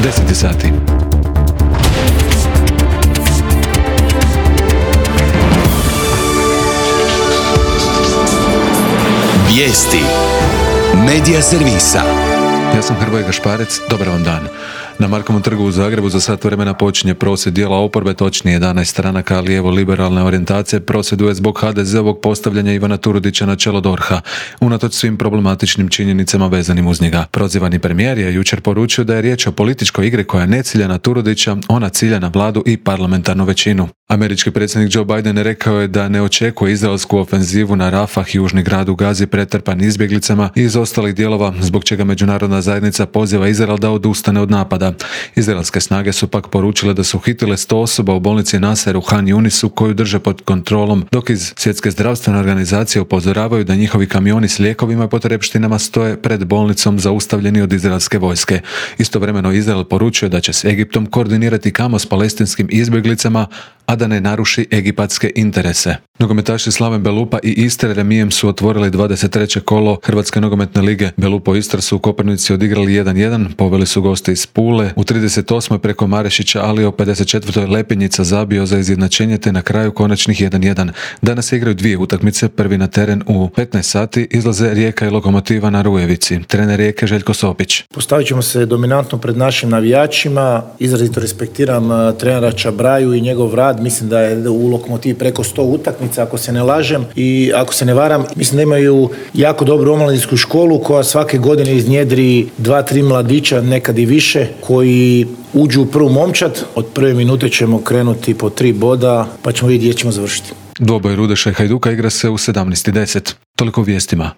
10 sati. Vijesti Medija servisa. Ja sam Hrvoje Gašparec, dobar vam dan. Na Markovom trgu u Zagrebu za sat vremena počinje prosvjed dijela oporbe, točnije 11 stranaka lijevo-liberalne orijentacije prosvjeduje zbog HDZ-ovog postavljanja Ivana Turudića na čelo DORH-a, unatoč svim problematičnim činjenicama vezanim uz njega. Prozivani premijer je jučer poručio da je riječ o političkoj igri koja ne cilja na Turudića, ona cilja na vladu i parlamentarnu većinu. Američki predsjednik Joe Biden rekao je da ne očekuje izraelsku ofenzivu na Rafah, južni grad u Gazi pretrpan izbjeglicama i iz ostalih dijelova, zbog čega međunarodna zajednica poziva Izrael da odustane od napada. Izraelske snage su pak poručile da su uhitile 100 osoba u bolnici Nasser u Han Yunisu koju drže pod kontrolom, dok iz Svjetske zdravstvene organizacije upozoravaju da njihovi kamioni s lijekovima i potrepštinama stoje pred bolnicom zaustavljeni od izraelske vojske. Istovremeno Izrael poručuje da će s Egiptom koordinirati kamo s palestinskim izbjeglicama, a da ne naruši egipatske interese. Nogometaši Slaven Belupa i Istre remijem su otvorili 23. kolo Hrvatske nogometne lige. Belupo i Istra su u Koprivnici odigrali 1-1, poveli su goste iz Pule. U 38. preko Marešića, ali u 54. Lepinjica zabio za izjednačenje te na kraju konačnih 1-1. Danas igraju dvije utakmice, prvi na teren u 15 sati izlaze Rijeka i Lokomotiva na Rujevici. Trener Rijeke Željko Sopić. Postavit ćemo se dominantno pred našim navijačima, izrazito respektiram trenera Čabraju i njegov rad. Mislim da je u Lokomotivi preko 100 utakmica, ako se ne lažem i ako se ne varam. Mislim da imaju jako dobru omladinsku školu koja svake godine iznjedri 2-3 mladića, nekad i više, koji uđu u prvu momčad. Od prve minute ćemo krenuti po 3 boda, pa ćemo vidjeti gdje ćemo završiti. Dvoboj Rudeša i Hajduka igra se u 17:10. Toliko vijestima.